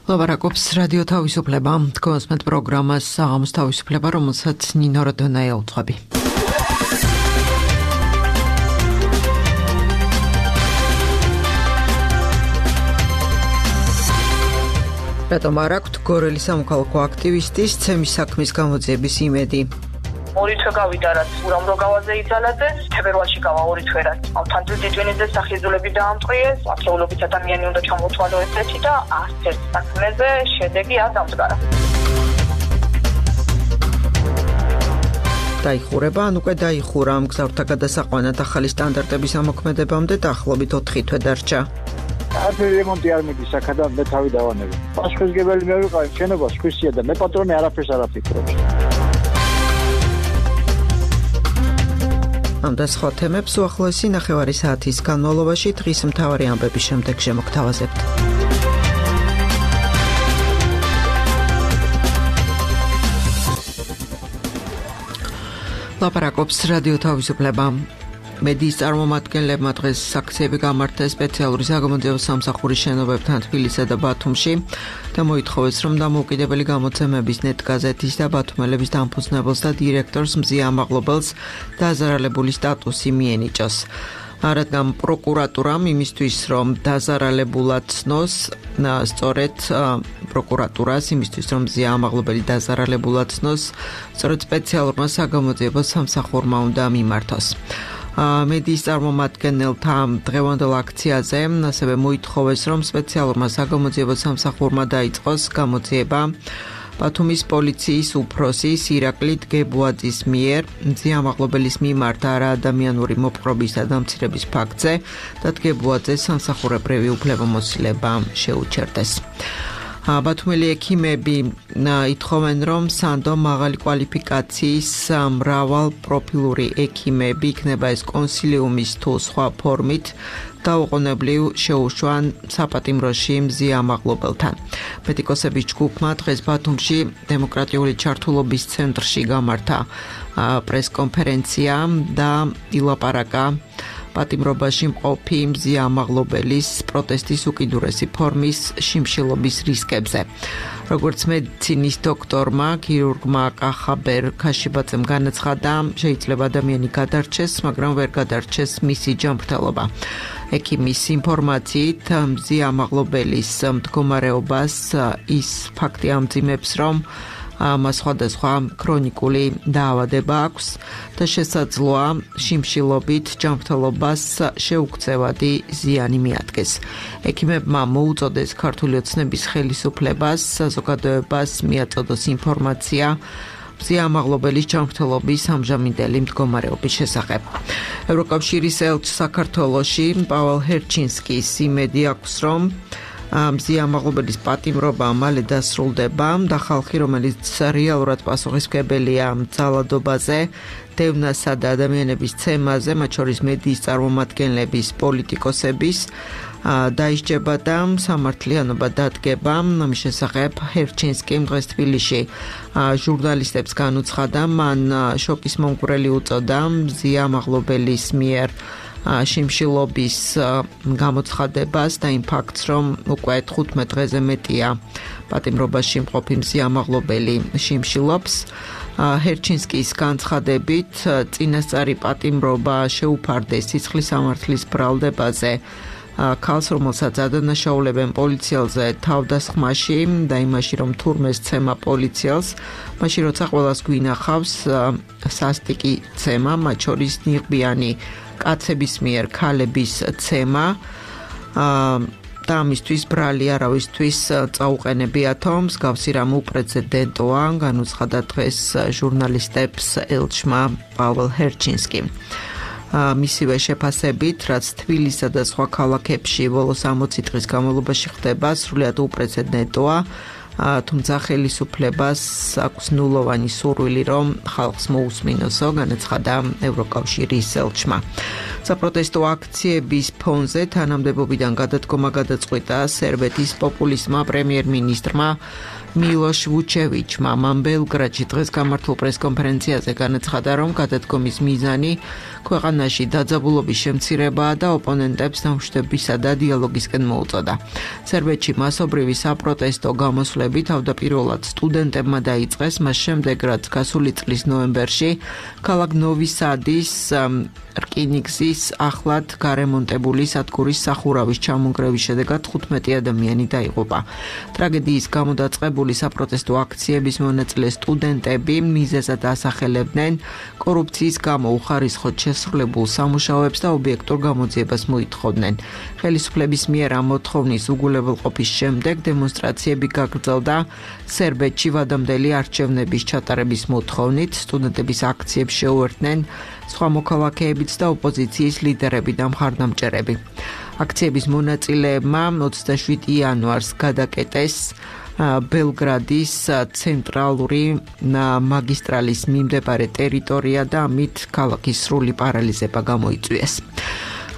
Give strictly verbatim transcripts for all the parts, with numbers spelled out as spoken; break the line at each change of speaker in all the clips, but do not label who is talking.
ლაპარაკობს რადიო თავისუფლება, თქვენს პროგრამას საღამოს თავისუფლება, რომელსაც ნინო როდონაია უძღვები. რატომ არ აქვთ გორელის სამოქალაქო აქტივისტის ცემის საქმის გამოძიების იმედი?
ორი თვე გავიდა, რაც უამრავ გავაზე იძალაძე, თებერვალში გავა ორი თვე, რაც ავთანდილ დეჯვენიძე სახიზულები დაამტყიეს, ათეულობით ადამიანი უნდა ჩამოთვალო ესეთი და არც ერთ საქმეზე შედეგი არ დამდგარა.
დაიხურება, ან უკვე დაიხურა ამ გზავრთა გადასაყვანად ახალი სტანდარტების ამოქმედებამდე დაახლოებით ოთხი თვე დარჩა.
არც რემონტი არ მიდის აქედან მე თავი დავანები. პასუხისმგებელი მე ვიყავი, შენობა სხვისია და მე პატრონი არაფერს არ აფიქრობს.
ამ და სხვა თემებს უახლოესი ნახევარი საათის განმავლობაში დღის მთავარი ამბების შემდეგ შემოგთავაზებთ. ლაპარაკობს რადიო თავისუფლება. მედიის წარმომადგენლებმა დღეს აქციები გამართეს სპეციალური საგამოძიებო სამსახურის შენობებთან თბილისსა და ბათუმში და მოითხოვეს, რომ დამოუკიდებელი გამოცემების ნეტგაზეთის და ბათუმელების დამფუძნებელს და დირექტორს მზია ამაღლობელს დაზარალებული სტატუსი მიენიჭოს. რადგან პროკურატურამ იმისთვის, რომ დაზარალებულად ცნოს, სწორედ პროკურატურას იმისთვის, რომ მზია ამაღლობელი დაზარალებულად ცნოს, სწორედ სპეციალურმა საგამოძიებო სამსახურმა უნდა მიმართოს. მედიის წარმომადგენელთა დღევანდელ აქციაზე ასევე მოითხოვეს, რომ სპეციალურმა საგამოძიებო სამსახურმა დაიწყოს გამოძიება ბათუმის პოლიციის უფროსის ირაკლი დგებუაძის მიერ მზია ამაღლობელის მიმართ არაადამიანური მოპყრობის და დამცირების ფაქტზე და დგებუაძეს სამსახურებრივი უფლებამოსილება შეუჩერდეს. ბათუმელი ექიმები ითხოვენ, რომ სანდო მაღალი კვალიფიკაციის მრავალ პროფილური ექიმები იქნება ეს კონსილიუმის თუ სხვა ფორმით დაუყოვნებლივ შეუშვან საპატიმროში მზია ამაღლობელთან. მედიკოსების ჯგუფმა დღეს ბათუმში დემოკრატიული ჩართულობის ცენტრში გამართა პრესკონფერენცია და ილაპარაკა პატიმრობაში მყოფი მზია ამაღლობელის პროტესტის უკიდურესი ფორმის შიმშილობის რისკებზე. როგორც მედიცინის დოქტორმა, ქირურგმა კახაბერ ქაშიბაძემ განაცხადა, შეიძლება ადამიანი გადარჩეს, მაგრამ ვერ გადარჩეს მისი ჯანმრთელობა. ექიმის ინფორმაციით, მზია ამაღლობელის მდგომარეობას ის ფაქტი ამძიმებს, რომ მას სხვადასხვა ქრონიკული დაავადება აქვს და შესაძლოა შიმშილობით ჯანმრთელობას შეუქცევადი ზიანი მიადგეს. ექიმებმა მოუწოდეს ქართული ოცნების ხელისუფლებას, საზოგადოებას მიაწოდოს ინფორმაცია მზია ამაღლობელის ჯანმრთელობის ამჟამინდელი მდგომარეობის შესახებ. ევროკავშირის ელჩს საქართველოში პავალ ჰერჩინსკის იმედი აქვს, რომ მზია ამაღლობელის პატიმრობა მალე დასრულდება და ხალხი, რომელიც რეალურად პასუხისმგებელია ძალადობაზე, დევნასა და ადამიანების ცემაზე, მათ შორის მედიის წარმომადგენლების, პოლიტიკოსების, დაისჯება და სამართლიანობა დადგება. ამის შესახებ ჰერჩინსკიმ დღეს თბილისში ჟურნალისტებს განუცხადა, მან შოკის მომგვრელი უწოდა მზია ამაღლობელის მიერ შიმშილობის გამოცხადებას და იმ ფაქტს, რომ უკვე თხუთმეტ დღეზე მეტია პატიმრობაში მყოფი მზია ამაღლობელი შიმშილობს. ჰერჩინსკის განცხადებით, წინასწარი პატიმრობა შეუფარდეს სიცხლის სამართლის ბრალდებაზე ქალს, რომელსაც ადანაშაულებენ პოლიციელზე თავდასხმაში და იმაში, რომ თურმე სცემა პოლიციელს, მაშინ როცა ყველას გვინახავს სასტიკი ცემა, მათ შორის ნიღბიანი კაცების მიერ ქალების ცემა და ამისთვის ბრალი არავისთვის წაუყენებიათო, მსგავსი რამ უპრეცედენტოა, განუცხადა დღეს ჟურნალისტებს ელჩმა პავალ ჰერჩინსკიმ. მისივე შეფასებით, რაც თბილისსა და სხვა ქალაქებში ბოლოს ოცი დღის განმავლობაში ხდება, სრულიად უპრეცედენტოა, თუმცა ხელისუფლებას აქვს ნულოვანი სურვილი, რომ ხალხს მოусმინოსო, განაცხადა ევროკავშირის ელჩმა. საპროტესტო აქციების ფონზე თანამდებობიდან გადადგომა გადაწყვიტა სერბეთის პოპულისტმა პრემიერ-მინისტრმა მილოშ ვუჩევიჩმა მან ბელგრადში დღეს გამართულ პრესკონფერენციაზე განაცხადა, რომ გადადგომის მიზანი ქვეყანაში დაძაბულობის შემცირებაა და ოპონენტებს დამშვიდობისა და დიალოგისკენ მოუწოდა. სერბეთში მასობრივი საპროტესტო გამოსვლები თავდაპირველად სტუდენტებმა დაიწყეს, მას შემდეგ რაც გასული წლის ნოემბერში ქალაქ ნოვი სადის რკინიგზის ახლად გარემონტებული სადგურის სახურავის ჩამონგრევის შედეგად თხუთმეტი ადამიანი დაიღუპა. ტრაგედიის გამო დაწყებული საპროტესტო აქციების მონაწილე სტუდენტები მიზეზად ასახელებდნენ კორუფციის გამო უხარისხოდ შესრულებულ სამუშაოებს და ობიექტურ გამოძიებას მოითხოვდნენ. ხელისუფლების მიერ ამ მოთხოვნის უგულებელყოფის შემდეგ დემონსტრაციები გაგრძელდა სერბეთში ვადამდელი არჩევნების ჩატარების მოთხოვნით. სტუდენტების აქციებს შეუერთდნენ სხვა მოქალაქეებიც და ოპოზიციის ლიდერები და მხარდამჭერები. აქციების მონაწილეებმა ოცდაშვიდი იანვარს გადაკეტეს ბელგრადის ცენტრალური მაგისტრალის მიმდებარე ტერიტორია და ამით ქალაქის სრული პარალიზება გამოიწვიეს.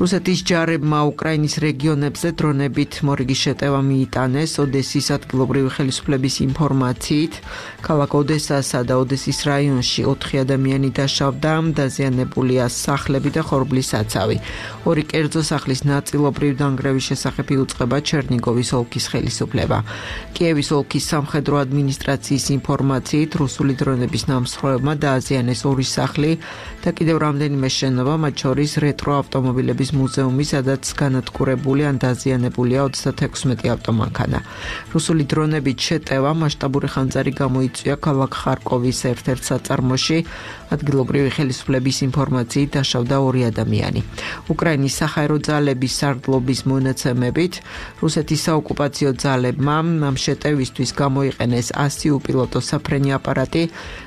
რუსეთის ჯარებმა უკრაინის რეგიონებზე დრონებით მორიგის შეტევა მიიტანეს. ოდესის ადგილობრივი ხელისუფლების ინფორმაციით, ქალაქ ოდესასა და ოდესის რაიონში ოთხი ადამიანი დაშავდა, დაზიანებულია სახლები და ხორბლის საცავი. ორი კერძო სახლის ნაწილობრივ დანგრევის შესახებ იუწყება ჩერნიგოვის ოლქის ხელისუფლება. კიევის ოლქის სამხედრო ადმინისტრაციის ინფორმაციით, რუსული დრონების ნამსხვრევებმა დააზიანეს ორი სახლი და კიდევ რამდენიმე შენობა, მათ შორის რეტრო ავტომობილების მუზეუმი, სადაც განადგურებული ან დაზიანებულია ოცდათექვსმეტი ავტომანქანა. რუსული დრონებით შეტევა მასშტაბური ხანძარი გამოიწვია ქალაქ ხარკოვის ერთ-ერთ საწარმოში. ადგილობრივი ხელისუფლების ინფორმაციით დაშავდა ორი ადამიანი. უკრაინის საჰაერო ძალების სარდლობის მონაცემებით, რუსეთის საოკუპაციო ძალებმა ამ შეტევისთვის გამოიყენეს ასი უპილოტო საფრენი აპარატი,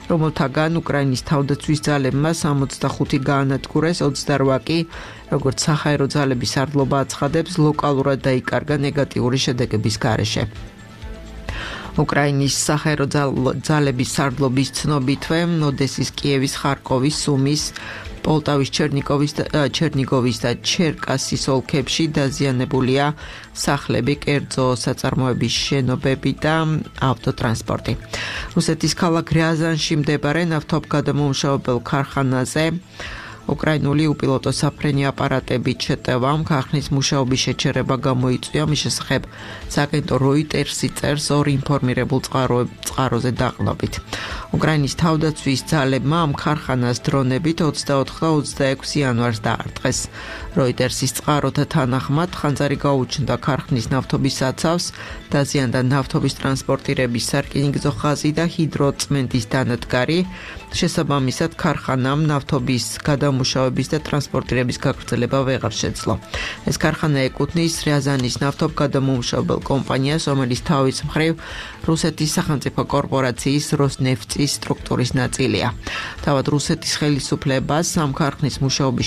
რომელთაგან უკრაინის თავდაცვის ძალებმა სამოცდახუთი გაანადგურეს, ოცდაოთხი კი როგორც საჰაერო ძალების სარდლობა აცხადებს, ლოკალურად დაიკარგა ნეგატიური შედეგების გარეშე. უკრაინის საჰაერო ძალების სარდლობის ცნობითვე ოდესის, კიევის, ხარკოვის, სუმის, პოლტავის, ჩერნიგოვის და ჩერკასის ოლქებში დაზიანებულია სახლები, კერძო საწარმოების შენობები და ავტოტრანსპორტი. რუსეთის ქალაქ რიაზანში მდებარე ნავთობგადამამუშავებელ ქარხანაზე უკრაინული უპილოტო საფრენი აპარატებით შეტევამ ქარხნის მუშაობის შეჩერება გამოიწვია. მის შესახებ სააგენტო როიტერსი წერს ორ ინფორმირებულ წყაროზე დაყრდნობით. უკრაინის თავდაცვის ძალებმა ამ ქარხანას დრონებით ოცდაოთხ და ოცდაექვსი იანვარს დაარტყეს. როიტერსის წყაროთა თანახმად ხანძარი გაუჩნდა ქარხნის ნავთობის საცავს, დაზიანდა ნავთობის ტრანსპორტირების სარკინიგზო ხაზი და ჰიდროწმენდის დანადგარი. შესაბამისად, ქარხანამ ნავთობის გადამუშავების და ტრანსპორტირების გაგრძელება ვეღარ შეძლო. ეს ქარხანა ეკუთვნის რიაზანის ნავთობგადამამუშავებელ კომპანიას, რომელიც თავის მხრივ რუსეთის სახელმწიფო კორპორაციის როსნეფტის სტრუქტურის ნაწილია. თავად რუსეთის ხელისუფლებას ამ ქარხნის მუშაობის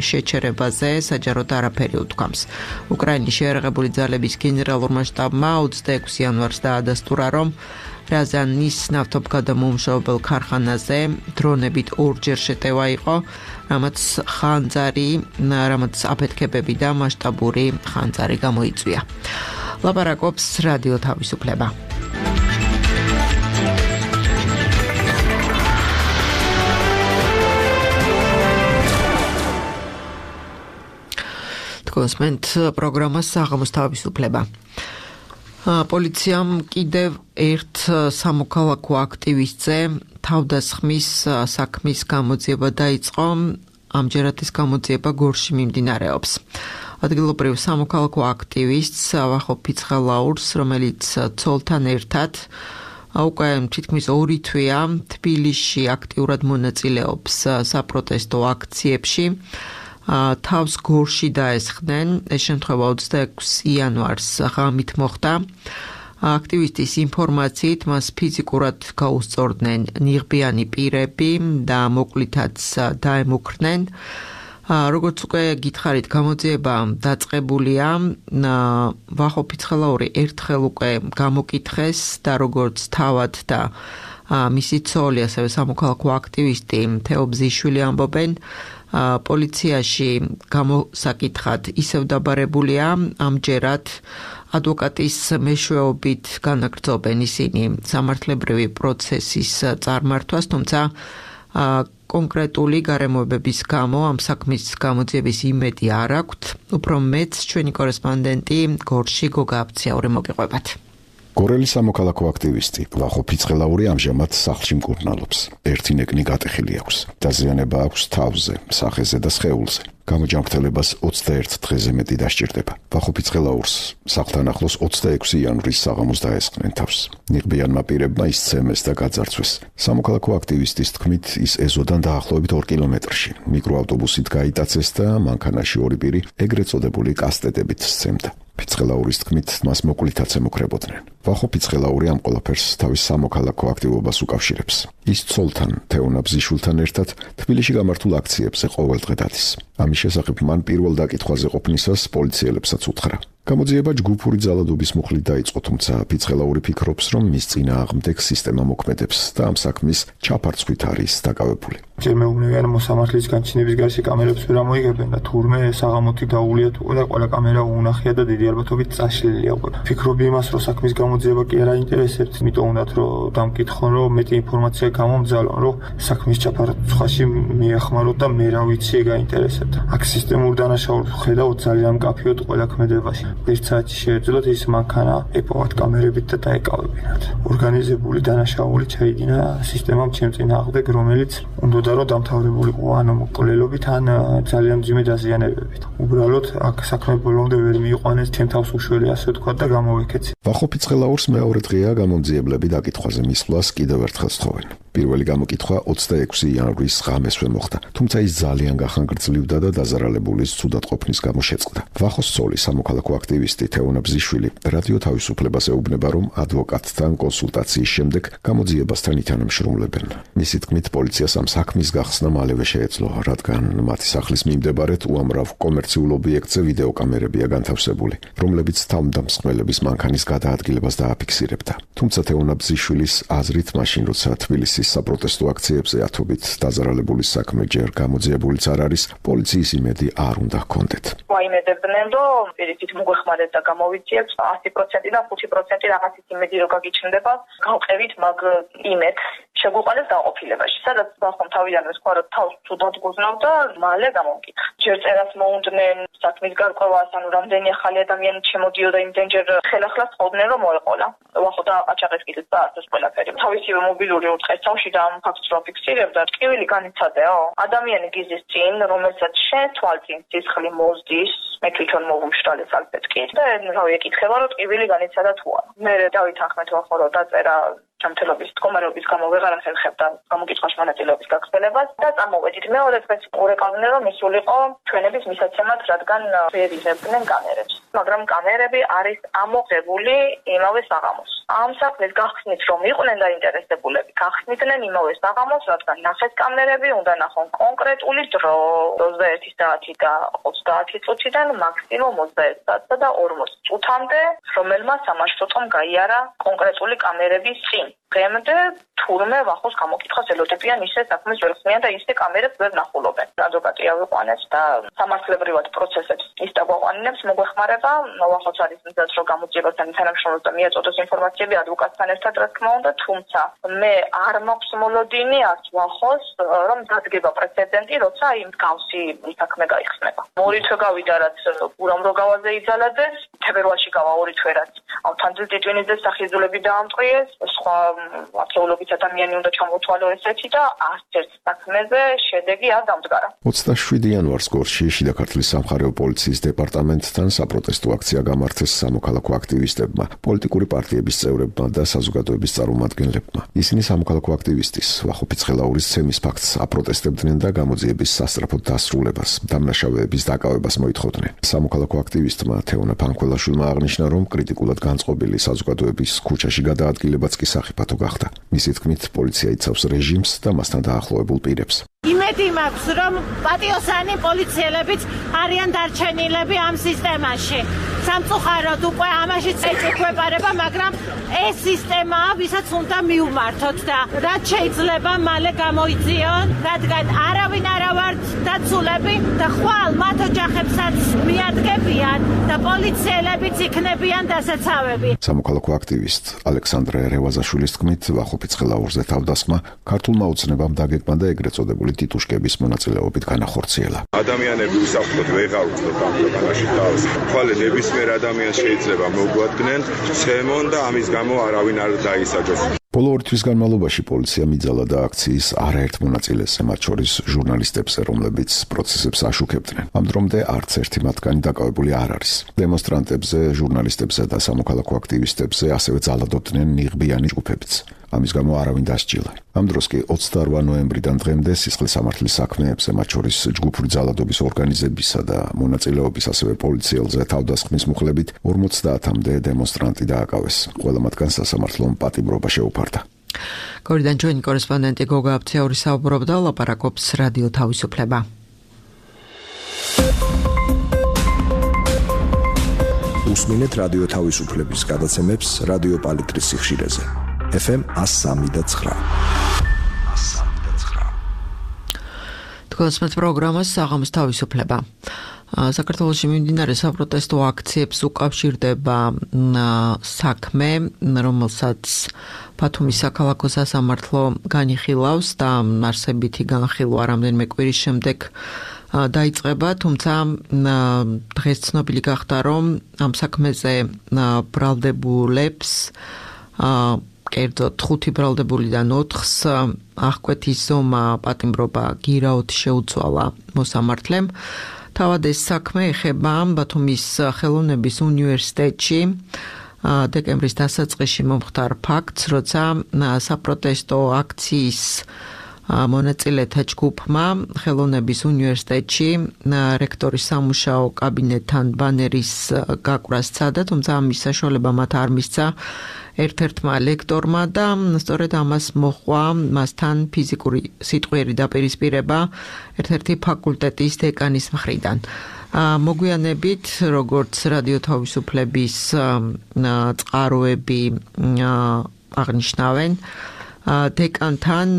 შეჩერებაზე საჯაროდ არაფერი უთქვამს. უკრაინის შეიარაღებული ძალების გენერალურმა შტაბმა ოცდაექვსი იანვარს დაადასტურა, რომ რიაზანის ნავთობგადამამუშავებელ ქარხანაზე დრონებით ორჯერ შეტევა იყო, რამაც ხანძარი, რამაც აფეთქებები და მასშტაბური ხანძარი გამოიწვია. ლაპარაკობს რადიო თავისუფლება. თქვენსმენთ პროგრამას საღამოს თავისუფლება. პოლიციამ კიდევ ერთ სამოქალაქო აქტივისტზე თავდასხმის საქმის გამოძიება დაიწყო. ამჯერად ეს გამოძიება გორში მიმდინარეობს. ადგილობრივ სამოქალაქო აქტივისტს ვახო ფიცხელაურს, რომელიც ცოლთან ერთად უკვე თითქმის ორი თვეა თბილისში აქტიურად მონაწილეობს საპროტესტო აქციებში. თავს გორში დაესხნენ. ეს შემთხვევა ოცდაექვსი იანვარს ღამით მოხდა. აქტივისტის ინფორმაციით მას ფიზიკურად გაუსწორდნენ ნიღბიანი პირები და მოკლითაც დაემუქრნენ. როგორც უკვე გითხარით, გამოძიება დაწყებულია. ვახო ფიცხელაური ერთხელ უკვე გამოკითხეს და როგორც თავად და მისი ცოლი, ასევე სამოქალაქო აქტივისტი თეო ბზიშვილი ამბობენ, პოლიციაში გამოსაკითხად ისევ დაბარებულია. ამჯერად ადვოკატის მეშვეობით განაგრძობენ ისინი სამართლებრივი პროცესის წარმართვას, თუმცა კონკრეტული გარემოებების გამო ამ საქმის გამოძიების იმედი არ აქვთ. უფრო მეც ჩვენი კორესპონდენტი გორში გოგა აფციაური მოგიყვებათ.
გორელის სამოქალაქო აქტივისტი ვახო ფიცხელაური ამჟამად სახლში მკურნალობს. ერთი ნეკნი გატეხილი აქვს. დაზიანება აქვს თავზე, სახეზე და სხეულზე. გამოჯანმრთელებას ოცდაერთ დღეზე მეტი დასჭირდება. ვახო ფიცხელაურს სახლთან ახლოს ოცდაექვსი იანვრის საღამოს დაესხნენ თავს. ნიღბიანმა პირებმა ისცემეს და გაძარცვეს. სამოქალაქო აქტივისტის თქმით, ის ეზოდან დაახლოებით ორ კილომეტრში მიკროავტობუსით გაიტაცეს და მანქანაში ორი პირი ეგრეთ წოდებული კასტეტებით სცემდა. ფიცხელაურის თქმით, მას მოკლითაც ემუქრებოდნენ. ვახო ფიცხელაური ამ ყველაფერს თავის სამოქალაქო აქტივობას უკავშირებს. ის ცოლთან, თეონა ბზიშვილთან ერთად თბილისში გამართულ აქციებზე ყოველდღე დადის. ამის შესახებ მან პირველ დაკითხვაზე ყოფნისას პოლიციელებსაც უთხრა. გამოძიება ჯგუფური ძალადობის მუხლით დაიწყო, თუმცა ფიცხელაური ფიქრობს, რომ მის წინააღმდეგ სისტემა მოქმედებს და ამ საქმის ჩაფარცხვით არის დაკავებული.
ჯერ მეუბნებიან მოსამართლის განჩინების გარშე კამერებს ვერ ამოიღებენ და თურმე საღამოთი დაუვლიათ უკვე და ყველა კამერა უნახია და დიდი ალბათობით წაშლილია უკვე. ფიქრობ იმას, რომ საქმის გამოძიება კი არ აინტერესებთ, იმიტომ უნდათ რომ დამკითხონ, რომ მეტი ინფორმაცია გამომძალონ, რომ საქმის ჩაფარცხვაში მიეხმაროთ და მე რა ვიცი ეგ აინტერესებთ. აქ სისტემურ დანაშაულს ხედავთ ძალიან მკაფიოდ ყველა ქმედებაში. ერთ საათში შეეძლოთ ის მანქანა ეპოვათ კამერებით და დაეკავებინათ. ორგანიზებული დანაშაული ჩაიდინა სისტემამ ჩემ წინააღმდეგ, რომელიც უნდა რომ დამთავრებულიყო ან მკვლელობით, ან ძალიან მძიმე დაზიანებებით. უბრალოდ აქ საქმე ბოლომდე ვერ მიიყვანეს, ჩემ თავს უშველი ასე ვთქვათ და გამოვიქეცი.
ვახო ფიცხელაურს მეორე დღეა გამომძიებლები დაკითხვაზე მისვლას კიდევ ერთხელ სთხოვენ. პირველი გამოკითხვა ოცდაექვსი იანვრის ღამესვე მოხდა, თუმცა ის ძალიან გახანგრძლივდა და დაზარალებულის ცუდად ყოფნის გამო შეწყდა. ვახოს ცოლი, სამოქალაქო აქტივისტი თეონა ბზიშვილი რადიო თავისუფლებას ეუბნება, რომ ადვოკატთან კონსულტაციის შემდეგ გამოძიებასთან ითანამშრომლებენ. მისი თქმით, პოლიციას ამ საქმის გახსნა მალევე შეეძლო, რადგან მათი სახლის მიმდებარედ უამრავ კომერციულ ობიექტზე ვიდეოკამერებია განთავსებული, რომლებიც თავმდამსხმელების მანქანის გადაადგილებას დააფიქსირებდა. თუმცა თეონა ბზიშვილის აზრით, მაშინ როცა თბილისის საპროტესტო აქციებზე ათობით დაზარალებულის საქმე ჯერ გამოძიებულიც არ არის, პოლიციის იმედი არ უნდა ჰქონდეთ.
ვაიმედებდნენ, რომ პირიქით მოგვეხმარეთ და გამოვიძიებთ ასი პროცენტი და ხუთი პროცენტი რაღაცის იმედი რო გაგიჩნდება, გავყევით მაგ იმედს შეგვიყვანეს დაყოფილებაში, სადაც ბახომ თავიდანვე სხვა რომ თავს თუდად გუზნავდა, მალე გამომკითხა. ჯერ წერას მოუნდნენ საქმის გარკვევას, ანუ რამდენი ახალი ადამიანი შემოდიოდა იმდენჯერ ხელახლას ხოვდნენ რომ მოეყოლა. ვახო დააყაჩაღეს კიდეც დაასწროს ყველაფერი. თავისივე მობილური უწყესავში და ამ ფაქტს რო ფიქსირებდა, ტკივილი განიცადეო. ადამიანი გიზის წინ, რომელსაც შენ თვალწინ სისხლი მოზდის, მე თვითონ მოვუმშრალე სალფეტკით და რავი ეკითხება რომ ტკივილი განიცადა თუ არა. მე დავითანხმეთ ვახო რომ დაწერა ჯანმრთელობის მდგომარეობის გამო ვეღარ ახერხებდა გამოკითხვაში მონაწილეობის გაგრძელებას და წამოვედით. მეორე დღეს ურეკავდნენ რომ ისულიყო ჩვენების მისაცემად, რადგან ვერ იღებდნენ კამერებს. მაგრამ კამერები არის ამოღებული იმავე საღამოს. ამ საქმის გახსნით რომ იყვნენ დაინტერესებულები, გახსნიდნენ იმავე საღამოს, რადგან ნახეს კამერები, უნდა ნახონ კონკრეტული დრო ოცდაერთი საათი და ოცდაათი წუთიდან მაქსიმუმ ოცდაერთ საათსა და ორმოც წუთამდე, რომელმა სამაშფოთომ გაიარა კონკრეტული კამერების წინ. დღემდე თურმე ვახოს გამოკითხვას ელოდებიან ისე საქმეს ვერ ხსნიან და ისე კამერებს ვერ ნახულობენ. ადვოკატი ავიყვანებს და სამართლებრივად პროცესებს ის დაგვაყვანინებს მოგვეხმარება. ვახოს არის მიზეზ რომ გამოძიებასთან თანამშრომლობს და მიაწოდოს ინფორმაციები ადვოკატთან ერთად, რა თქმა უნდა, თუმცა მე არ მაქვს მოლოდინი არც ვახოს რომ დადგება პრეცედენტი, როცა იმ მსგავსი საქმე გაიხსნება. ორი თვე გავიდა რაც ურამრო გავაზე იძალადეს, თებერვალში გავა ორი თვე რაც ავთანძილ ტიტვინიძეს სახიზულები დაამტყიეს, სხვა ათეულობით ადამიანი უნდა ჩამოთვალო ესეთი და არც ერთ საქმეზე შედეგი არ დამდგარა.
ოცდაშვიდი იანვარს გორში შიდა ქართლის სამხარეო პოლიციის დეპარტამენტთან საპროტესტო აქცია გამართეს სამოქალაქო აქტივისტებმა, პოლიტიკური პარტიების წევრებმა და საზოგადოების წარმომადგენლებმა. ისინი სამოქალაქო აქტივისტის ვახო ფიცხელაურის ცემის ფაქტს აპროტესტებდნენ და გამოძიების სასწრაფოდ დასრულებას, დამნაშავეების დაკავებას მოითხოვდნენ. სამოქალაქო აქტივისტმა თეონა ფანქველაშვილმა აღნიშნა, რომ კრიტიკულად განწყობილი საზოგადოების ქუჩაში გადაადგილებაც კი საფათო გახდა. მისი თქმით, პოლიცია იცავს რეჟიმს და მასთან დაახლოებულ პირებს.
იმედი მაქვს, რომ პატიოსანი პოლიციელებიც არიან დარჩენილები ამ სისტემაში. სამწუხაროდ უკვე ამაშიც ეჭვება, მაგრამ ეს სისტემაა, ვისაც უნდა მივმართოთ და რაც შეიძლება მალე გამოიძიონ, რადგან არავინ არა ვართ და კონსულები და ხვალ მათ ოჯახებსაც მიადგებიან და პოლიციელებიც იქნებიან დასაცავები.
სამოქალაქო აქტივისტ ალექსანდრე რევაზაშვილის თქმით, ვახო ფიცხელაურზე თავდასხმა ქართულმა ოცნებამ დაგეგმა და ეგრეთ წოდებული ტიტუშკების მონაწილეობით განახორციელა.
ადამიანები უსაფრთხოდ ვეღარ უწევთ ამ ქვეყანაში თავს. თვალე ნებისმიერ ადამიანს შეიძლება მოგვადგნენ ცემონ და ამის გამო არავინ არ დაისაჯოს.
ბოლო ორი თვის განმავლობაში პოლიცია მიძალა და აქციის არაერთ მონაწილეს, მათ შორის ჟურნალისტებს, რომლებიც პროცესებს აშუქებდნენ. ამ დრომდე არც ერთი მათგანი დაკავებული არ არის. დემონსტრანტებზე, ჟურნალისტებზე და სამოქალაქო აქტივისტებზე ასევე ძალადობდნენ ნიღბიანი ჯგუფებიც. ამის გამო არავინ დასჯილა. ამ დროს კი ოცდაორი ნოემბრიდან დღემდე სისხლის სამართლის საქმეებზე, მათ შორის ჯგუფური ძალადობის ორგანიზებისა და მონაწილეობის, ასევე პოლიციელზე თავდასხმის მუხლებით ორმოცდაათამდე დემონსტრანტი დააკავეს. ყველა მათგანს სასამართლომ პატიმრობა შეუფარდა.
გორიდან ჩვენი კორესპონდენტი გოგა აფციური საუბრობდა, ლაპარაკობს რადიო თავისუფლება.
უსმინეთ რადიო თავისუფლების გადაცემებს რადიო პალიტრის სიხშირეზე. ეფ ემ εκατო სამი და ცხრა.
თქვენს პროგრამას საღამოს თავისუფლება. საქართველოში მიმდინარე საპროტესტო აქციებს უკავშირდება საქმე, რომელსაც ბათუმის საქალაქო სასამართლო განიხილავს და არსებითი განხილვა რამდენიმე კვირის შემდეგ დაიწყება, თუმცა დღეს ცნობილი გახდა, რომ ამ საქმეზე ბრალდებულებს კერძოდ ხუთი ბრალდებულიდან ოთხს აღკვეთის ზომა პატიმრობა გირაოდ შეუცვალა მოსამართლემ. თავად ეს საქმე ეხება ბათუმის ხელოვნების უნივერსიტეტში დეკემბრის დასაწყისში მომხდარ ფაქტს, როცა საპროტესტო აქციის მონაწილეთა ჯგუფმა ხელოვნების უნივერსიტეტში რექტორის სამუშაო კაბინეტთან ბანერის გაკვრას სცადა, თუმცა ამის საშუალება მათ არ მისცა ერთ-ერთმა ლექტორმა და სწორედ ამას მოჰყვა მასთან ფიზიკური სიტყვიერი დაპირისპირება ერთ-ერთი ფაკულტეტის დეკანის მხრიდან. მოგვიანებით, როგორც რადიო თავისუფლების წყაროები აღნიშნავენ, დეკანთან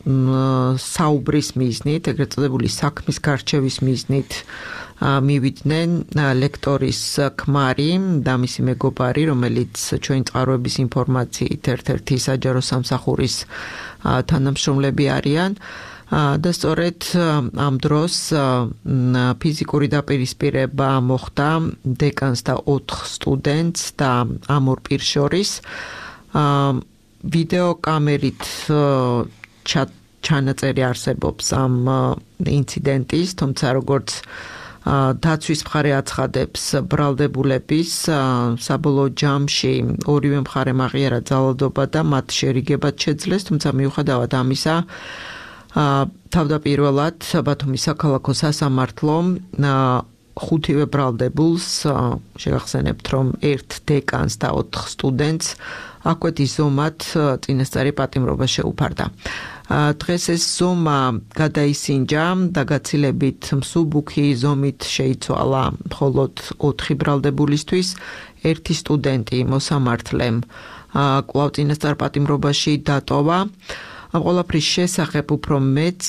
საუბრის მიზნით, ეგრეთ წოდებული საქმის გარჩევის მიზნით მივიდნენ ლექტორის ქმარი და მისი მეგობარი, რომელიც ჩვენი წყაროების ინფორმაციით ერთ-ერთი საჯარო სამსახურის თანამშრომლები არიან. და სწორედ ამ დროს ფიზიკური დაპირისპირება მოხდა დეკანს და ოთხ სტუდენტს და ამ ორ პირს შორის. ვიდეო კამერით ჩანაწერი არსებობს ამ ინციდენტის, თუმცა როგორც დაცვის მხარე აცხადებს, ბრალდებულების საბოლოო ჯამში ორივე მხარემ აღიარა ძალადობა და მათ შერიგებად შეძლეს, თუმცა მიუხედავად ამისა თავდაპირველად ბათუმის საქალაქო სასამართლომ ხუთივე ბრალდებულს, შეგახსენებთ, რომ ერთ დეკანს და ოთხ სტუდენტს აღკვეთის ზომად წინასწარი პატიმრობა შეუფარდა. დღეს ეს ზომა გადაისინჯა და გაცილებით მსუბუქი ზომით შეიცვალა მხოლოდ ოთხი ბრალდებულისთვის, ერთი სტუდენტი მოსამართლემ კვლავ წინასწარ პატიმრობაში დატოვა. ამ ყველაფრის შესახებ უფრო მეც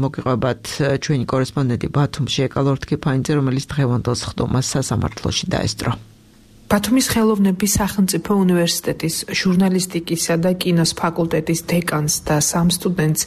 მოგიყვებათ ჩვენი კორესპონდენტი ბათუმში ეკალორ თქიფანიძე, რომელიც დღევანდელ სხდომას სასამართლოში დაესწრო.
ბათუმის ხელოვნების სახელმწიფო უნივერსიტეტის ჟურნალისტიკისა და კინოს ფაკულტეტის დეკანს და სამ სტუდენტს,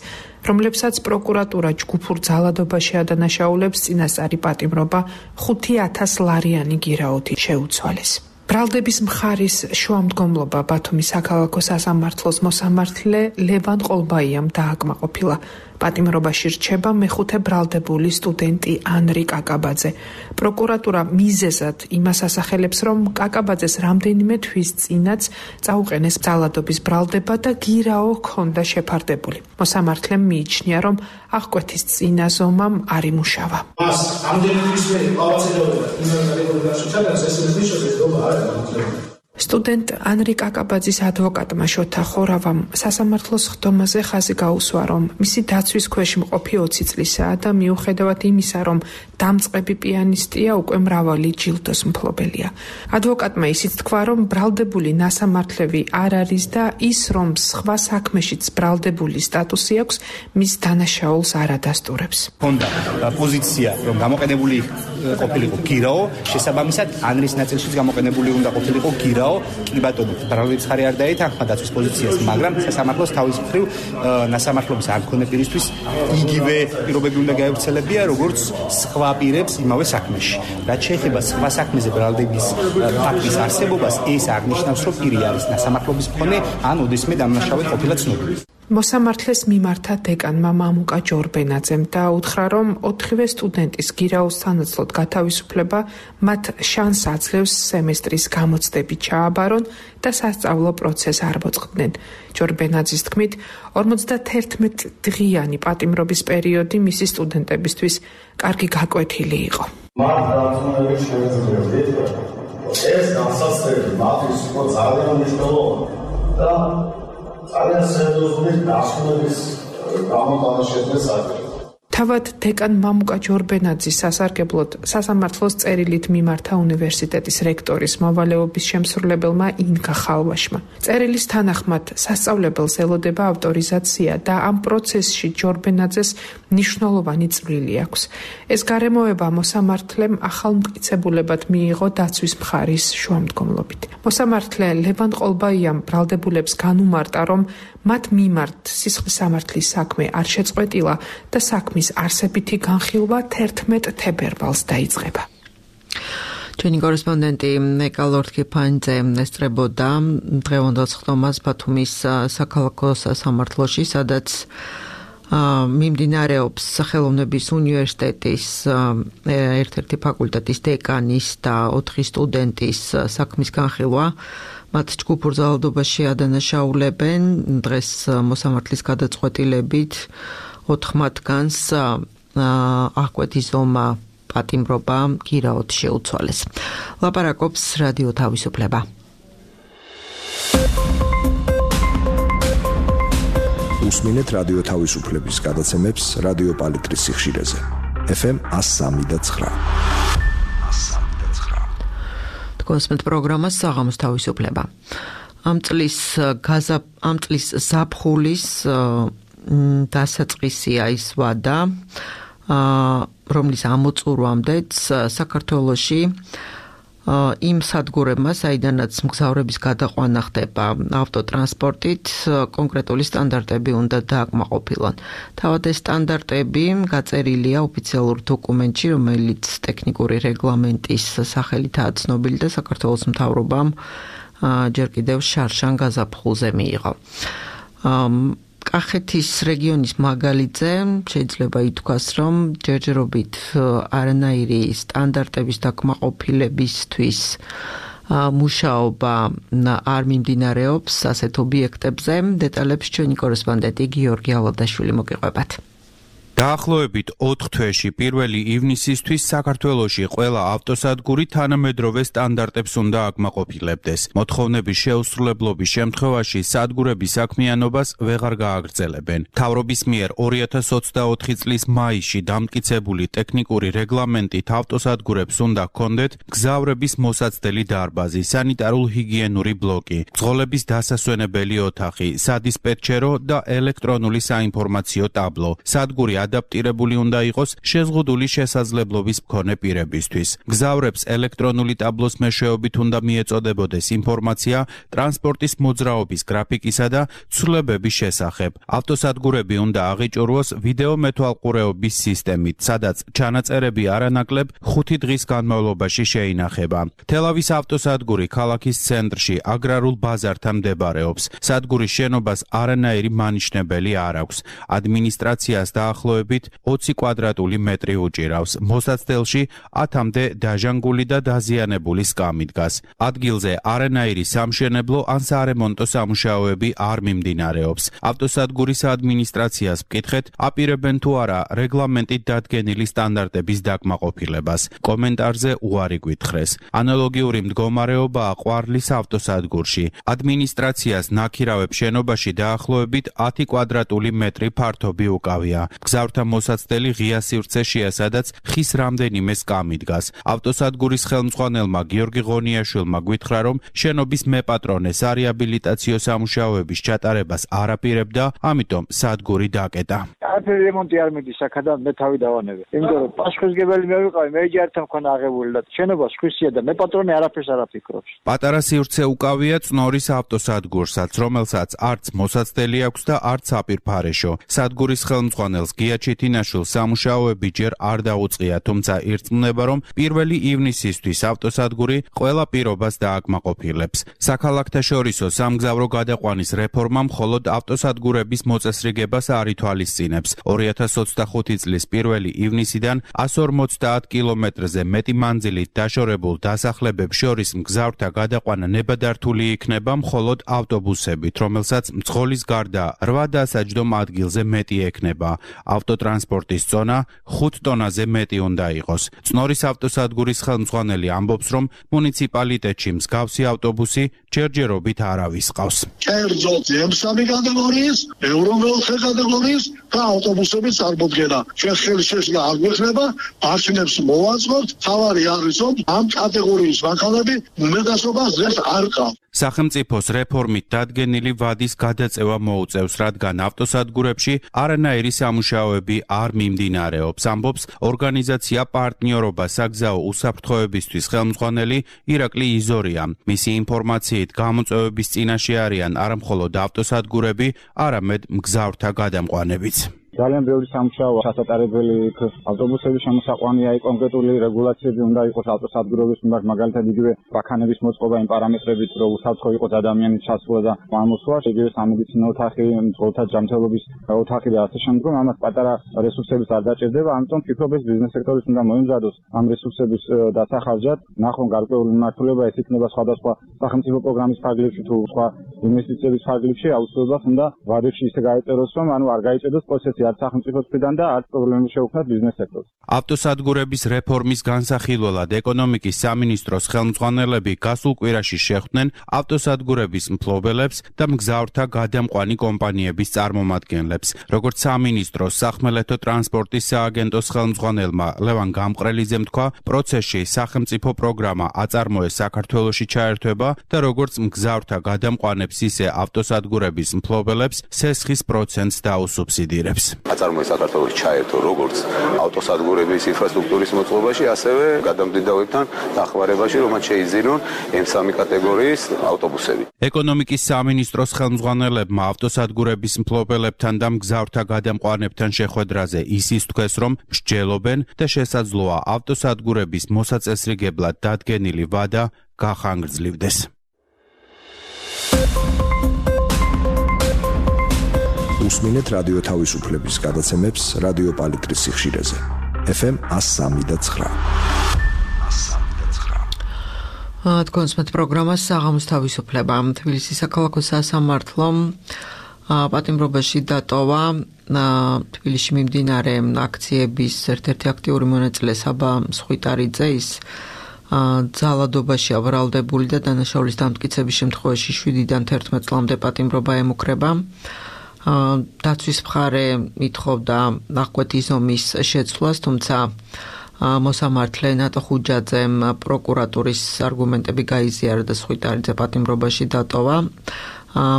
რომლებსაც პროკურატურა ჯგუფურ ძალადობაში ადანაშაულებს, წინასწარი პატიმრობა ხუთი ათას ლარიანი გირაოთი შეუცვალეს. ბრალდების მხარის შუამდგომლობა ბათუმის საქალაქო სასამართლოს მოსამართლე ლევან ყოლბაიამ დააკმაყოფილა. პატიმრობაში რჩება მეხუთე ბრალდებული სტუდენტი ანრი კაკაბაძე. პროკურატურა მიზეზად იმას ასახელებს, რომ კაკაბაძეს რამდენიმე თვის წინაც წაუყენეს ძალადობის ბრალდება და გირაო ჰქონდა შეფარდებული. მოსამართლემ მიიჩნია, რომ აღკვეთის წინა ზომამ არ იმუშავა.
მას რამდენიმე თვის მერე ყავაცედაობა იმერგალეგორიაში ჩადას ეს მიშოდეს დობა არ არის.
სტუდენტ ანრი კაკაბაძის ადვოკატმა შოთა ხორავამ სასამართლოს ხდომაზე ხაზი გაუსვა, რომ მისი დაცვის ქვეშ მყოფი ოცი წლისაა და მიუხედავად იმისა, რომ დამწყები პიანისტია, უკვე მრავალი ჯილდოს მფლობელია. ადვოკატმა ისიც თქვა, რომ ბრალდებული ნასამართლები არ არის და ის, რომ სხვა საქმეშიც ბრალდებული სტატუსი აქვს, მის დანაშაულს არ ადასტურებს.
ჰქონდა პოზიცია, რომ გამოყენებული ყოფილიყო გირაო, შესაბამისად ანრის ნაწილშიც გამოყენებული უნდა ყოფილიყო გირაო, კი ბატონო, ბრალდების ხარი არ დაეთანხმა დაცვის პოზიციას, მაგრამ სასამართლოს თავის მხრივ ნასამართლობის არ მქონე პირისთვის იგივე პირობები უნდა გაევრცელებია, როგორც სხვა პირებს იმავე საქმეში. რაც შეეხება სხვა საქმეზე ბრალდების ფაქტის არსებობას, ეს აღნიშნავს, რომ პირი არის ნასამართლობის მქონე ან ოდესმე დამნაშავე ყოფილა ცნობილი.
მოსამართლეს მიმართა დეკანმა მამუკა ჯორბენაძემ და უთხრა, რომ ოთხივე სტუდენტის გირაოს სანაცვლოდ გათავისუფლება მათ შანსს აძლევს სემესტრის გამოცდებით ჩააბარონ და სასწავლო პროცესს არ მოწყდნენ. ჯორბენაძის თქმით, ორმოცდაერთმეტი დღიანი პატიმრობის პერიოდი მისი სტუდენტებისთვის კარგი გაკვეთილი იყო.
მათ დარწმუნებით შევეძლებდით, ეს განსაცდელი მათთვის იყო ძალიან მნიშვნელოვანი და ძალიან სერიოზული დასკვნების გამოტანა შეძლეს ადრე.
თავად დეკან მამუკა ჯორბენაძის სასარგებლოდ სასამართლოს წერილით მიმართა უნივერსიტეტის რექტორის მოვალეობის შემსრულებელმა ინკა ხალვაშმა. წერილის თანახმად სასწავლებელს ელოდება ავტორიზაცია და ამ პროცესში ჯორბენაძეს მნიშვნელოვანი წვლილი აქვს. ეს გარემოება მოსამართლემ ახალმტკიცებულებად მიიღო დაცვის მხარის შუამდგომლობით. მოსამართლე ლევან ყოლბაიამ ბრალდებულებს განუმარტა, რომ მათ მიმართ სისხლის სამართლის საქმე არ შეწყვეტილა და საქმის არსებითი განხილვა თერთმეტ თებერვალს დაიწყება.
ჩვენი კორესპონდენტი ნეკა ლორთქიფანიძე ესწრებოდა დღევანდელ ხდომას ბათუმის საქალაქო სასამართლოში, სადაც მიმდინარეობს ხელოვნების უნივერსიტეტის ერთ-ერთი ფაკულტეტის დეკანის და ოთხი სტუდენტის საქმის განხილვა. მათ ჯგუფურ ძალადობაში ადანაშაულებენ. დღეს მოსამართლის გადაწყვეტილებით ოთხ მათგანს აღკვეთი ზომა პატიმრობა გირაოდ შეუცვალეს. ლაპარაკობს რადიო თავისუფლება.
უსმინეთ რადიო თავისუფლების გადაცემებს რადიო პალიტრის სიხშირეზე. ეფ ემ εκατო სამი და ცხრა.
კონსმეთ პროგრამას საღამოს თავისუფლება. ამ წლის გაზა ამ წლის ზაფხულის დასაწყისია ის ვადა, რომლის ამოწურვამდეც საქართველოში იმ სადგურებმა, საიდანაც მგზავრების გადაყვანა ხდება ავტოტრანსპორტით, კონკრეტული სტანდარტები უნდა დააკმაყოფილონ. თავად ეს სტანდარტები გაწერილია ოფიციალურ დოკუმენტში, რომელიც ტექნიკური რეგლამენტის სახელითაა ცნობილი და საქართველოს მთავრობამ ჯერ კიდევ შარშან გაზაფხულზე მიიღო. კახეთის რეგიონის მაგალითზე შეიძლება ითქვას, რომ ჯერჯერობით არანაირი სტანდარტების დაკმაყოფილებისთვის მუშაობა არ მიმდინარეობს ასეთ ობიექტებზე. დეტალებს ჩვენი კორესპონდენტი გიორგი ალადაშვილი მოგიყვებათ.
დაახლოებით ოთხ თვეში პირველი ივნისისთვის საქართველოში ყველა ავტოსადგური თანამედროვე სტანდარტებს უნდა აკმაყოფილებდეს. მოთხოვნების შეუსრულებლობის შემთხვევაში სადგურების საქმიანობას ვეღარ გააგრძელებენ. მთავრობის მიერ ორი ათას ოცდაოთხი წლის მაისში დამტკიცებული ტექნიკური რეგლამენტით ავტოსადგურებს უნდა ჰქონდეთ გზავრების მოსაცდელი დარბაზი, სანიტარულ-ჰიგიენური ბლოკი, მძღოლების დასასვენებელი ოთახი, სადისპეტჩერო და ელექტრონული საინფორმაციო ტაბლო. სადგური ადაპტირებული უნდა იყოს შეზღუდული შესაძლებლობის მქონე პირებისთვის. გზავრებს ელექტრონული ტაბლოს მეშვეობით უნდა მიეწოდებოდეს ინფორმაცია ტრანსპორტის მოძრაობის გრაფიკისა და ცვლილებების შესახებ. ავტოსადგურები უნდა აღიჭურვოს ვიდეო მეთვალყურეობის სისტემით, სადაც ჩანაწერები არანაკლებ ხუთი დღის განმავლობაში შეინახება. თელავის ავტოსადგური ქალაქის ცენტრში აგრარულ ბაზართან მდებარეობს. სადგურის შენობას არანაირი მანიშნებელი არ აქვს. ადმინისტრაციას დაახლოებით ოცი კვადრატული მეტრი უჭირავს. მოსაცდელში ათამდე დაჟანგული და დაზიანებული სკამი დგას. ადგილზე არანაირი სამშენებლო ან სარემონტო სამუშაოები არ მიმდინარეობს. ავტოსადგურის ადმინისტრაციას ვკითხეთ, აპირებენ თუ არა რეგლამენტით დადგენილი სტანდარტების დაკმაყოფილებას. კომენტარზე უარი გვითხრეს. ანალოგიური მდგომარეობაა ყვარლის ავტოსადგურში. ადმინისტრაციას ნაქირავებ შენობაში დაახლოებით ათი კვადრატული მეტრი ფართობი უკავია. მგზავრთა მოსაცდელი ღია სივრცეშია, სადაც ხის რამდენიმე სკამი დგას. ავტოსადგურის ხელმძღვანელმა გიორგი ღონიაშვილმა გვითხრა, რომ შენობის მეპატრონე სარეაბილიტაციო სამუშაოების ჩატარებას არ აპირებდა, ამიტომ სადგური დაკეტა.
არაფერი რემონტი არ მიდის აქედან მე თავი დავანებე. იმიტომ რომ პასუხისმგებელი მე ვიყავი, მე ჯერ მქონა აღებული და შენობა სხვისია და მეპატრონე არაფერს არ აფიქრობს.
პატარა სივრცე უკავია წნორის ავტოსადგურსაც, რომელსაც არც მოსაცდელი აქვს და არც აპირფარეშო. სადგურის ხელმძღვანელს გია ჩიტინაშვილს სამუშაოები ჯერ არ დაუწყია, თუმცა ირწმუნება, რომ პირველი ივნისისთვის ავტოსადგური ყველა პირობას დააკმაყოფილებს. საქალაქთაშორისო სამგზავრო გადაყვანის რეფორმა მხოლოდ ავტოსადგურების მოწესრიგებას არ ითვალისწინებს. ორი ათას ოცდახუთი წლის პირველი ივნისიდან εκατს ორმოცდაათ კილომეტრზე მეტი მანძილით დაშორებულ დასახლებებს შორის მგზავრთა გადაყვანა ნებადართული იქნება მხოლოდ ავტობუსებით, რომელსაც მძღოლის გარდა რვა დასაჯდომ ადგილზე მეტი ექნება. ავტოტრანსპორტის წონა ხუთ ტონაზე მეტი უნდა იყოს. წნორის ავტოსადგურის ხელმძღვანელი ამბობს, რომ მუნიციპალიტეტში მსგავსი ავტობუსი ჯერჯერობით არავის ყავს.
კერძოდ ემ სამი კატეგორიის, ევრო მეოთხე კატეგორიის და ავტობუსების წარმოდგენა. ჩვენ ხელშეშლა არ გვექნება, არჩევნებს მოვაწყობთ, თავარი არის, რომ ამ კატეგორიის მანქანები უმეტესობას დღეს არ ყავს.
სახელმწიფოს რეფორმით დადგენილი ვადის გადაწევა მოუწევს, რადგან ავტოსადგურებში არანაირი სამუშაოები არ მიმდინარეობს, ამბობს ორგანიზაცია პარტნიორობა საგზაო უსაფრთხოებისთვის ხელმძღვანელი ირაკლი იზორია. მისი ინფორმაციით გამოწვევების წინაშე არიან არა მხოლოდ ავტოსადგურები, არამედ მგზავრთა გადამყვანებიც.
ძალიან ბევრი სამუშაოა ჩასატარებელი იქ ავტობუსების შემოსაყვანია, კონკრეტული რეგულაციები უნდა იყოს ავტოსადგურების მიმართ, მაგალითად იგივე ბაქანების მოწყობა იმ პარამეტრებით, რომ უსაფრთხო იყოს ადამიანის ჩასვლა და გამოსვლა, იგივე სამედიცინო ოთახი, მძღოლთა ჯანმრთელობის ოთახი და ასე შემდგომ. ამას პატარა რესურსების არ დაჭირდება, ამიტომ ფიქრობ ეს ბიზნეს სექტორის უნდა მოიმზადოს ამ რესურსების დასახარჯად. ნახონ გარკვეული მიმართულება, ეს იქნება სხვადასხვა სახელმწიფო პროგრამის ფარგლებში თუ სხვა ინვესტიციების ფარგლებში, აუცილებლად უნდა ვადებში ისე გაეწეროს, რომ ანუ არ გაიჭედოს პროცესი არც სახელმწიფოს მხრიდან და არც პრობლემები შეუქმნათ ბიზნეს სექტორს.
ავტოსადგურების რეფორმის განსახილველად ეკონომიკის სამინისტროს ხელმძღვანელები გასულ კვირაში შეხვდნენ ავტოსადგურების მფლობელებს და მგზავრთა გადამყვანი კომპანიების წარმომადგენლებს. როგორც სამინისტროს სახმელეთო ტრანსპორტის სააგენტოს ხელმძღვანელმა ლევან გამყრელიძემ თქვა, პროცესში სახელმწიფო პროგრამა აწარმოეს საქართველოში ჩაერთვება და როგორც მგზავრთა გადამყვანებს, ისე ავტოსადგურების მფლობელებს სესხის პროცენტს დაუსუბსიდირებს.
აწარმოეს საქართველოს ჩაერთო როგორც ავტოსადგურების ინფრასტრუქტურის მოწყობაში, ასევე გადამდიდავებთან დახმარებაში, რომაც შეიძინონ ემ სამი კატეგორიის ავტობუსები.
ეკონომიკის სამინისტროს ხელმძღვანელებმა ავტოსადგურების მფლობელებთან და მგზავრთა გადამყვანებთან შეხვედრაზე ისიც თქვეს, რომ მსჯელობენ და შესაძლოა ავტოსადგურების მოსაწესრიგებლად დადგენილი ვადა გახანგრძლივდეს.
უსმინეთ რადიო თავისუფლების გადაცემებს რადიო პალიტრის სიხშირეზე. ეფ ემ εκατს სამი და ცხრა.
თქვენს met პროგრამას საღამოს თავისუფლება. თბილისის საქალაქო სასამართლომ პატიმრობაში დატოვა თბილისში მიმდინარე აქციების ერთ-ერთი აქტიური მონაწილე საბა მსხვიტარიძე, ის ძალადობაში აბრალდებული და დანაშაულის დამტკიცების შემთხვევაში შვიდიდან თერთმეტ წლამდე პატიმრობა ემუქრება. დაცვის მხარე ითხოვდა ნახვეთი ზომის შეცვლას, თუმცა მოსამართლე ნატო ხუჯაძემ პროკურატურის არგუმენტები გაიზიარა და სხვიტარიძე პატიმრობაში დატოვა.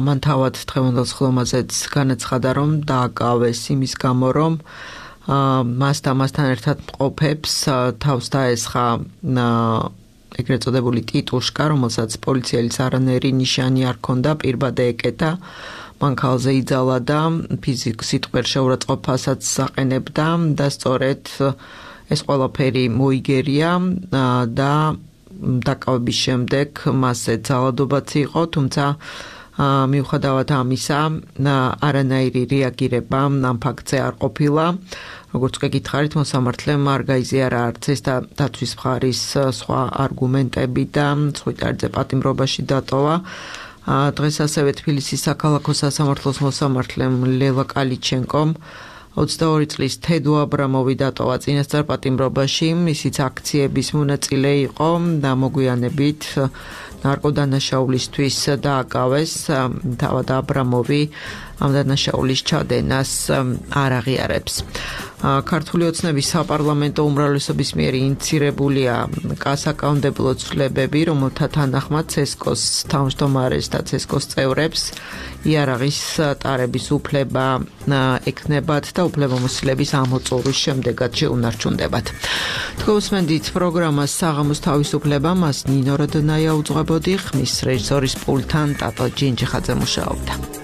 მან თავად დღევანდელ სხდომაზეც განაცხადა, რომ დააკავეს იმის გამო, რომ მას და მასთან ერთად მყოფებს თავს დაესხა ეგრეთ წოდებული ტიტუშკა, რომელსაც პოლიციელის არანაირი ნიშანი არ ჰქონდა, პირბადე ეკეთა. მან ქალზე იძალა და ფიზიკ სიტყვერ შეურაცხყოფასაც აყენებდა და სწორედ ეს ყველაფერი მოიგერია და დაკავების შემდეგ მასზე ძალადობაც იყო, თუმცა მიუხედავად ამისა არანაირი რეაგირება ამ ფაქტზე არ ყოფილა. როგორც გეკითხარით, მოსამართლემ არ გაიზიარა არც ეს და დაცვის მხარის სხვა არგუმენტები და სხვიტარიძე პატიმრობაში დატოვა. დღეს ასევე თბილისის საქალაქო სასამართლოს მოსამართლემ ლელა კალიჩენკომ ოცდაორი წლის თედო აბრამოვი დატოვა წინასწარ პატიმრობაში, ისიც აქციების მონაწილე იყო და მოგვიანებით ნარკოდანაშაულისთვის დააკავეს. თავად აბრამოვი ამ დანაშაულის ჩადენას არ აღიარებს. ქართული ოცნების საპარლამენტო უმრავლესობის მიერ ინიცირებულია გასაკანონმდებლო ცვლილებები, რომელთა თანახმად ცესკოს თავმჯდომარეს და ცესკოს წევრებს იარაღის ტარების უფლება ეკნებათ და უფლებამოსილების ამოწურვის შემდეგაც შეუნარჩუნდებათ. თქვენსმენდით პროგრამას საღამოს თავისუფლება, მას ნინო როდონაია უძღვებოდი, ხმის რეჟისორის პულტთან ტატო ჯინჯიხაძე მუშაობდა.